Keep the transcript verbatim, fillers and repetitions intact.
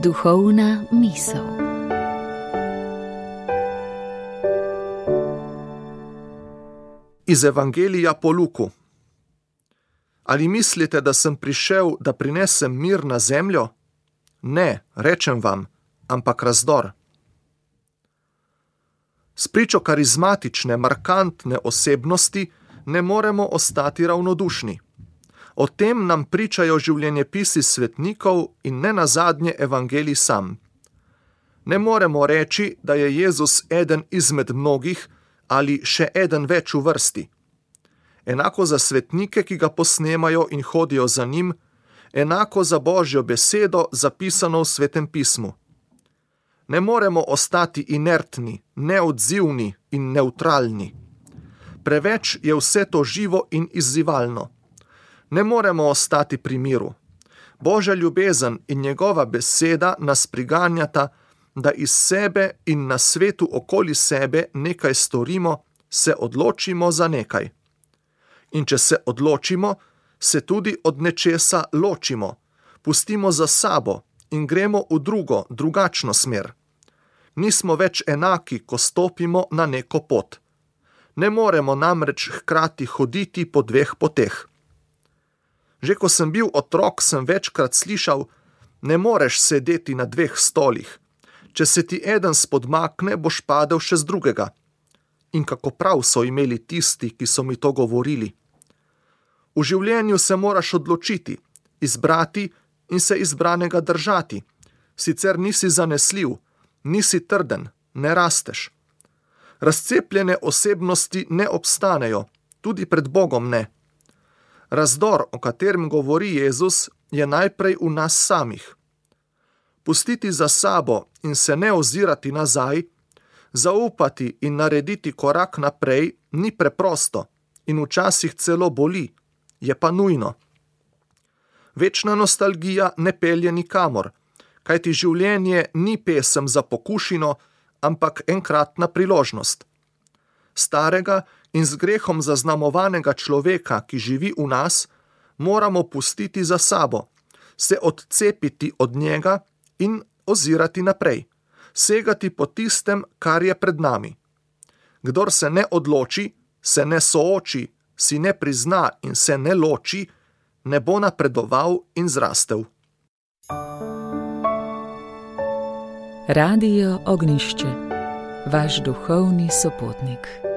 Duhovna misel. Iz Evangelija po Luku. Ali mislite, da sem prišel, da prinesem mir na zemljo? Ne, rečem vam, ampak razdor. S pričo karizmatične, markantne osebnosti ne moremo ostati ravnodušni. O tem nam pričajo življenjepisi svetnikov in ne nazadnje Evangelij sam. Ne moremo reči, da je Jezus eden izmed mnogih ali še eden več v vrsti. Enako za svetnike, ki ga posnemajo in hodijo za njim, enako za Božjo besedo, zapisano v Svetem pismu. Ne moremo ostati inertni, neodzivni in nevtralni. Preveč je vse to živo in izzivalno. Ne moremo ostati pri miru. Božja ljubezen in njegova beseda nas priganjata, da iz sebe in na svetu okoli sebe nekaj storimo, se odločimo za nekaj. In če se odločimo, se tudi od nečesa ločimo, pustimo za sabo in gremo v drugo, drugačno smer. Nismo več enaki, ko stopimo na neko pot. Ne moremo namreč hkrati hoditi po dveh poteh. Že ko sem bil otrok, sem večkrat slišal, ne moreš sedeti na dveh stolih. Če se ti eden spodmakne, boš padel še z drugega. In kako prav so imeli tisti, ki so mi to govorili. V življenju se moraš odločiti, izbrati in se izbranega držati. Sicer nisi zanesljiv, nisi trden, ne rasteš. Razcepljene osebnosti ne obstanejo, tudi pred Bogom ne. Razdor, o katerem govori Jezus, je najprej v nas samih. Pustiti za sabo in se ne ozirati nazaj, zaupati in narediti korak naprej ni preprosto in včasih celo boli, je pa nujno. Večna nostalgija ne pelje nikamor, kajti življenje ni pesem za pokušino, ampak enkratna priložnost. Starega in z grehom zaznamovanega človeka, ki živi v nas, moramo pustiti za sabo, se odcepiti od njega in ozirati naprej, segati po tistem, kar je pred nami. Kdor se ne odloči, se ne sooči, si ne prizna in se ne loči, ne bo napredoval in zrastel. Radio Ognjišče, vaš duhovni sopotnik.